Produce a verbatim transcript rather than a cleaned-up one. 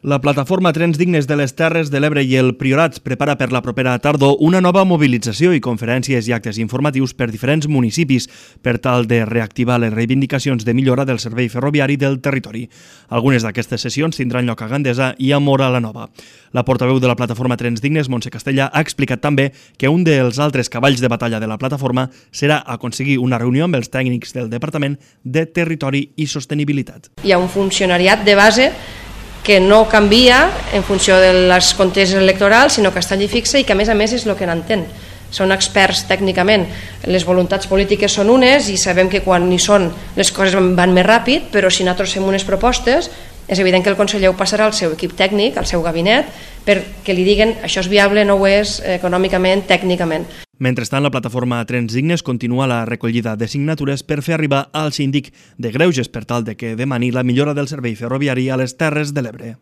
La plataforma Trens Dignes de les Terres de l'Ebre i el Priorat prepara per la propera tardor una nova mobilització i conferències i actes informatius per diferents municipis per tal de reactivar les reivindicacions de millora del servei ferroviari del territori. Algunes d'aquestes sessions tindran lloc a Gandesa i a Móra la Nova. La portaveu de la plataforma Trens Dignes, Montse Castella, ha explicat també que un dels altres cavalls de batalla de la plataforma serà aconseguir una reunió amb els tècnics del Departament de Territori i Sostenibilitat. Hi ha un funcionariat de base que no canvia en funció de les conteses electorals, sinó que està allí fixa i que a més a més és el que n'entén. Són experts tècnicament. Les voluntats polítiques són unes i sabem que quan hi són les coses van més ràpid, però si nosaltres fem unes propostes és evident que el conseller ho passarà al seu equip tècnic, al seu gabinet, perquè li diguen això és viable, no ho és, econòmicament, tècnicament. Mentrestant, la plataforma Trens Dignes continua la recollida de signatures per fer arribar al síndic de Greuges per tal de que demani la millora del servei ferroviari a les Terres de l'Ebre.